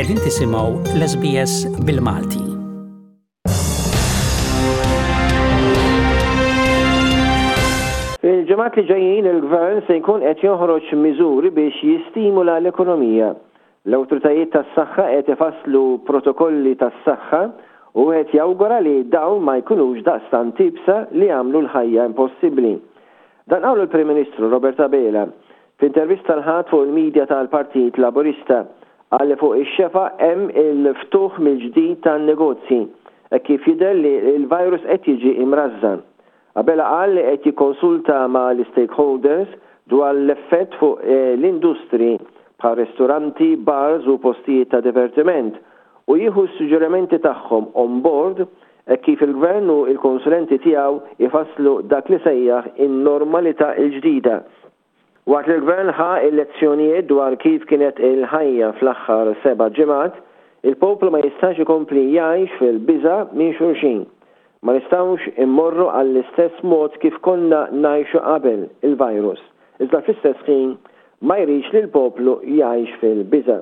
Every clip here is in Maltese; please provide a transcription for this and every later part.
Qegħdin tisimgħu l-SBS bil-Malti. Fil-ġimgħat li ġejjin il-Gvern se jkun qed joħroġ miżuri biex jistimula l-ekonomija. L-awtoritajiet tas-saħħa qed ifasslu protokolli tas-saħħa u wieħed jawgura li dawn ma jkunux daqstant iebsa li jagħmlu l-ħajja impossibbli. Dan qalu l-Prim Ministru Robert Abela f'intervista l-Ħadd fuq il-midja tal-Partit Laburista. Qal li fuq ix-xefaq hemm il-ftuħ mill-ġdid tan-negozji hekk kif jidher li l-virus qed jiġi imrażżan. Abela qal li qed jikkonsulta ma' l-istakeholders dwar l-effett fuq l-industriji bħal ristoranti, bars u postijiet ta' divertiment u jieħu s-suġġerimenti tagħhom on board hekk kif il-Gvern u l-konsulenti tiegħu jfasslu dak li sejjaħ in-normalità l-ġdida. Waqt li l-Gvern ħa l-lezzjonijiet dwar kif kienet il-ħajja fl-aħħar seba' ġimgħat, il-poplu ma jistax ikompli jgħix fil-biża' minn xulxin. Ma nistgħux immorru għall-istess mod kif konna ngħixu qabel il-virus, iżda fl-istess ħin ma jridx li l-poplu jgħix fil-biża'.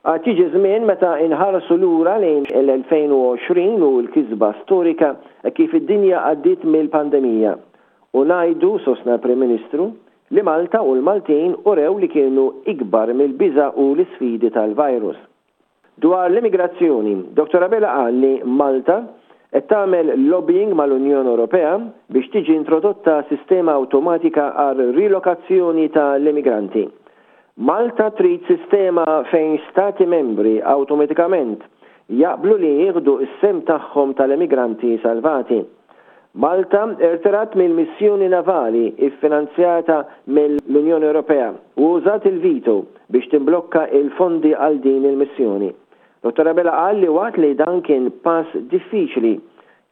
Għad jiġi żmien meta nħarsu lura lejn l-2020 u l-kisba storika kif id-dinja għaddiet mill-pandemija. U ngħidu, sostna l-Prim Ministru, li Malta u l-Maltin urew li kienu ikbar mill-biża' u l-isfidi tal-virus. Dwar l-immigrazzjoni, Dottor Abela qal li Malta qed tagħmel lobbying mal-Unjoni Ewropea biex tiġi introdotta sistema awtomatika għar-rilokazzjoni tal-immigranti. Malta trid sistema fejn stati membri awtomatikament jaqblu li jieħdu s-sehem tagħhom tal-emigranti salvati. Malta irtirat mill-missjoni navali ffinanzjata mill-Unjoni Ewropea u użat il-veto biex timblokka il-fondi għal din il-missjoni. Dottor Abela qal li waqt li dan kien pass diffiċli,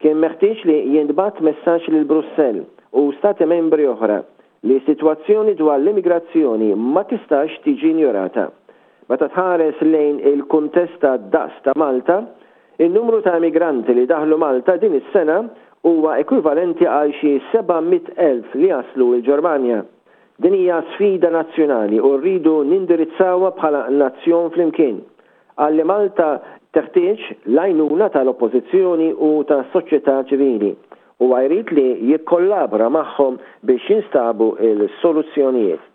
kien meħtieġ li jintbagħat messaġġ lil Brussell u stati membri oħra li s-sitwazzjoni dwar l-immigrazzjoni ma tistax tiġi injorata. Meta tħares lejn il-kuntest tad-daqs ta' Malta, in-numru ta' immigranti li daħlu Malta din is-sena huwa ekwivalenti għal xi 700,000 li jaslu l-Ġermanja. Din hija sfida nazzjonali u rridu nindirizzawha bħala nazzjon flimkien. Qal li Malta teħtieġ l-għajnuna tal-Oppożizzjoni u tas-soċjetà ċivili. Huwa jrid li jikkollabora magħhom biex jinstabu l-soluzzjonijiet.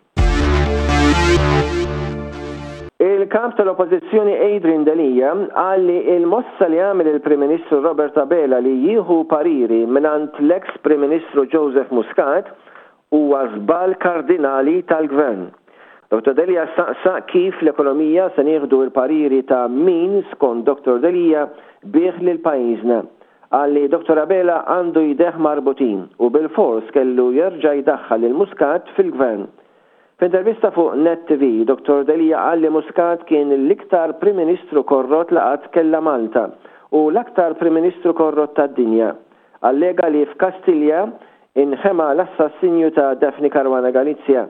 Il-Kap tal-Oppożizzjoni Adrian Delia qal li l-mossa li għamel il-Prim Ministru Robert Abela li jieħu pariri mingħand l-eks Prim Ministru Joseph Muscat huwa żball kardinali tal-Gvern. Dottor Delia staqsa kif l-ekonomija se nieħdu l-pariri ta' min, skont Dottor Delia, biegħ lil pajjiżna. Qal li Dottor Abela għandu jdejh marbutin u bilfors kellu jerġa' jdaħħal lil Muscat fil-Gvern. F'intervista fuq Net TV, Dottor Delia qal li Muscat kien l-iktar Prim Ministru korrott li qatt kellha Malta u l-aktar Prim Ministru korrott tad-dinja. Allega li f'Kastilja inħema l-assassinju ta' Daphne Caruana Galizia.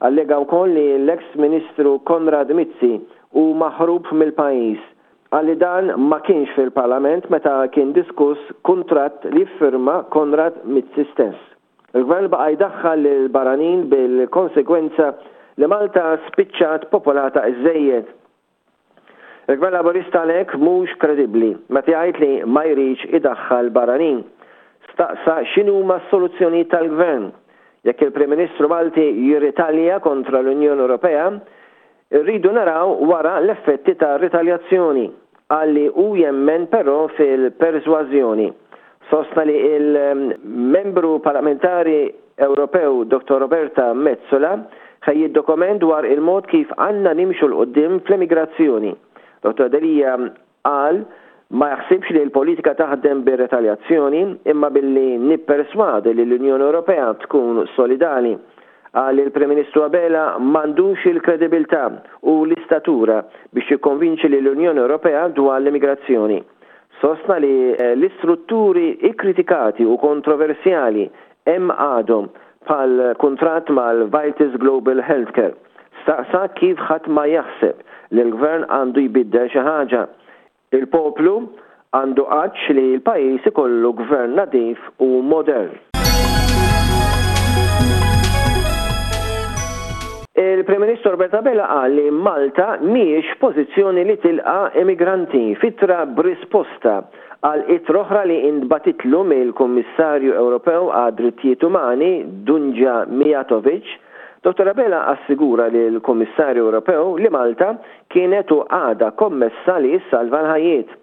Allega wkoll li l-eks Ministru Konrad Mizzi hu maħrub mill-pajjiż. Qal li dan ma kienx fil-Parlament meta kien diskuss kuntratt li ffirma Konrad Mizzi stess. Il-Gvern baqa' jdaħħal lill-barranin bil-konsegwenza li Malta spiċċat popolata żżejjed. Il-Gvern Laburista għalhekk mhux kredibbli meta jgħid li ma jridx idaħħal barranin. Staqsa x'inhuma s-soluzzjonijiet tal-Gvern. Jekk il-Prim Ministru Malti jirritalja kontra l-Unjoni Ewropea, irridu naraw wara l-effetti tar-ritaljazzjoni. Qal li hu jemmen però fil-persważjoni. Sostna li l-Membru Parlamentari Ewropew Dottor Roberta Metsola ħejjiet dokument dwar il-mod kif għandna nimxu 'l quddiem fl-emigrazzjoni. Dottor Delia qal ma jaħsibx li l-politika taħdem bir-retaljazzjoni imma billi nipperswadu li l-Unjoni Ewropea tkun solidali. Qal li l-Prim Ministru Abela m'għandux il-kredibilità u l-istatura biex jikkonvinċi lill-Unjoni Ewropea dwar l-immigrazzjoni. Sostna li l-istrutturi ikkritikati u kontroversjali hemm għadhom, bħall-kuntratt mal-Vitis Global Healthcare. Staqsa kif ħadd ma jaħseb li l-Gvern għandu jbiddel xi ħaġa. Il-poplu għandu għatx li l-pajjiż ikollu Gvern nadif u modern. Il-Prim Ministru Robert Abela qal li Malta mhijiex f'pożizzjoni li tilqa' immigranti f'ittra b'risposta għal ittra oħra li intbagħtitlu mill-Kummissarju Ewropew għad-Drittijiet Umani Dunja Mijatovic. Dottor Abela assigura lill-Kummissarju Ewropew li Malta kienet u għadha kommessa li ssalva l-ħajjiet.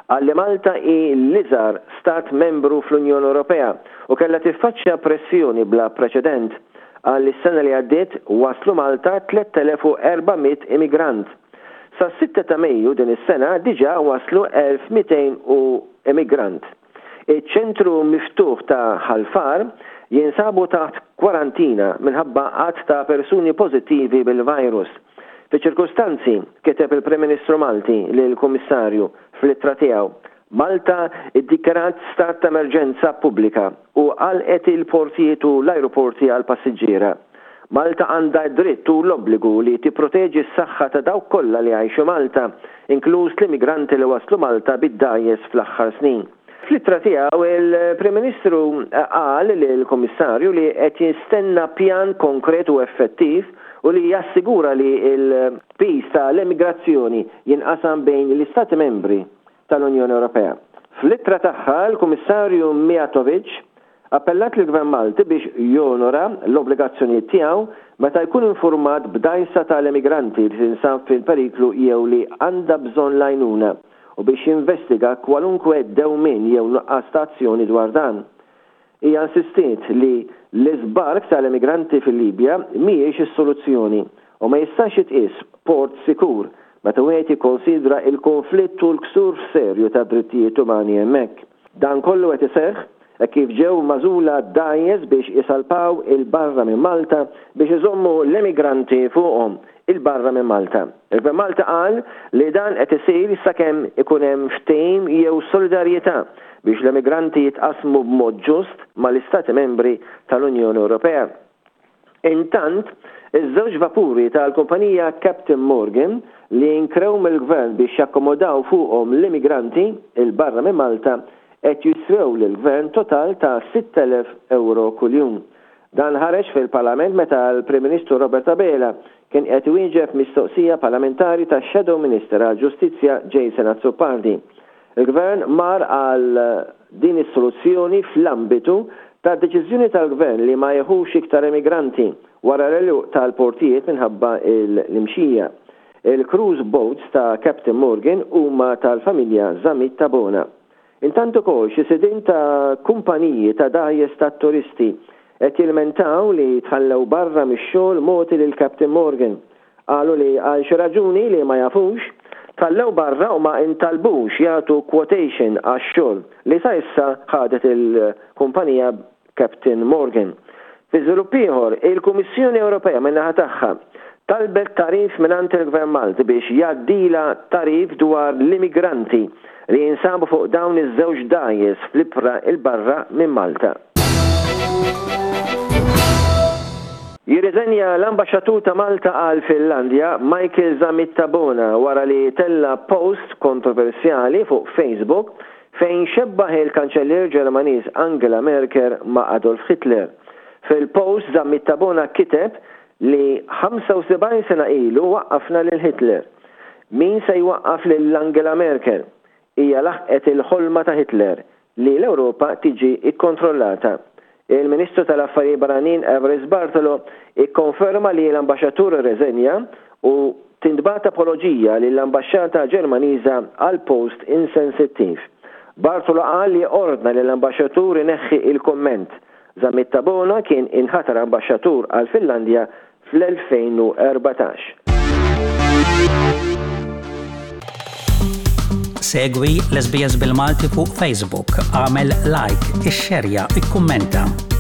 Qal li Malta hi l-iżgħar stat membru fl-Unjoni Ewropea u kellha tiffaċċja pressjoni bla preċedent. Qal li s-sena li għaddiet waslu Malta 3,400 immigrant. Sas-sitta ta' Mejju din is-sena diġà waslu 1,200 u immigrant. Iċ-ċentru miftuħ ta' Ħal Far jinsabu taħt kwarantina minħabba għadd ta' persuni pożittivi bil-virus. Fiċ-ċirkustanzi, kiteb il-Prim Ministru Malti lill-Kummissarju fl-ittra tiegħu, Malta ddikjarat stat ta' emerġenza pubblika u għalqet il-portijiet u l-ajruporti għall-passiġġiera. Malta għandha d-dritt u l-obbligu li tipproteġi s-saħħa ta' dawk kollha li jgħixu Malta, inkluż l-immigranti li waslu Malta bid-dgħajjes fl-aħħar snin. Fl-ittra tiegħu, il-Prim Ministru qal lill-Kummissarju li qed jistenna pjan konkret u effettiv u li jassigura li l-piż ta' l-emigrazzjoni jinqasam bejn l-Istati Membri tal-Unjoni Ewropea. Fl-ittra tagħha, l-Kummissarju Mijatovic appellat lill-Gvern Malti biex jonora l-obbligazzjonijiet tiegħu meta jkun infurmat b'dgħajsa tal-emigranti li tinsab fil-periklu jew li għandha bżonn l-għajnuna u biex jinvestiga kwalunkwe dewmien jew nuqqas ta' azzjoni dwar dan. Hija insistiet li l-iżbark tal-emigranti fil-Libja mhijiex is-soluzzjoni u ma jistax jitqies port sikur meta wieħed jikkonsidra l-kunflitt u l-ksur serju tad-drittijiet umani hemmhekk. Dan kollu qed iseħħ hekk kif ġew magħżula dgħajjes biex isalpaw 'il barra minn Malta biex iżommu l-emigranti fuqhom 'il barra minn Malta. Il-Gvern Malti qal li dan qed isir sakemm ikun hemm ftehim jew solidarjetà biex l-emigranti jitqassmu b'mod ġust mal-Istati Membri tal-Unjoni Ewropea. Intant, iż-żewġ vapuri tal-kumpanija Captain Morgan li nkrew mill-Gvern biex jakkomodaw fuqhom l-immigranti 'il barra minn Malta qed jiswew lill-Gvern total ta' 6,000 ewro kuljum. Dan ħareġ fil-Parlament meta l-Prim Ministru Robert Abela kien qed iwieġeb mistoqsija parlamentari tax-Shadow Minister għall-Ġustizzja Jason Azzopardi. Il-Gvern mar għal din is-soluzzjoni fl-ambitu tad-deċiżjoni tal-Gvern li ma jieħux iktar immigranti wara l-għeluq tal-portijiet minħabba l-imxija. Il-cruise boats ta' Captain Morgan huma tal-familja Zammit Tabona. Intant ukoll xi sidien ta' kumpaniji ta' dgħajjes tat-turisti qed jilmentaw li tħallew barra mix-xogħol mogħti lil Captain Morgan. Qalu li għal xi raġuni li ma jafux, tħallew barra u ma intalbux jagħtu quotation għax-xogħol li sa issa ħadet il-kumpanija Captain Morgan. Fi żvilupp ieħor, il-Kummissjoni Ewropea min-naħa tagħha talbet tagħrif mingħand il-Gvern Malti biex jgħaddilha tagħrif dwar l-immigranti li jinsabu fuq dawn iż-żewġ dgħajjes fl-ibħra 'l barra minn Malta. Jirriżenja l-Ambaxxatur ta' Malta għall-Finlandja, Michael Zammit Tabona wara li tella' post kontroversjali fuq Facebook fejn xebbaħ il-Kanċellier Ġermaniż Angela Merkel ma' Adolf Hitler. Fil-post Zammit Tabona kiteb li 75 sena ilu waqqafna lil Hitler. Min se jwaqqaf lil Angela Merkel? Hija laħqet il-ħolma ta' Hitler li l-Ewropa tiġi kkontrollata. Il-Ministru tal-Affarijiet Barranin Evarist Bartolo ikkonferma li l-ambaxxatur irreżenja u tintbagħat apoloġija lill-ambaxxata Ġermaniża għall-post insensittiv. Bartolo qal li ordna lill-ambaxxatur ineħħi il-kumment. Zammit Tabona kien inħatar ambaxxatur għall-Finlandja fl-2014. Segwi l-SBS bil-Malti fuq Facebook, għamel like, ixxerja, ikkummenta.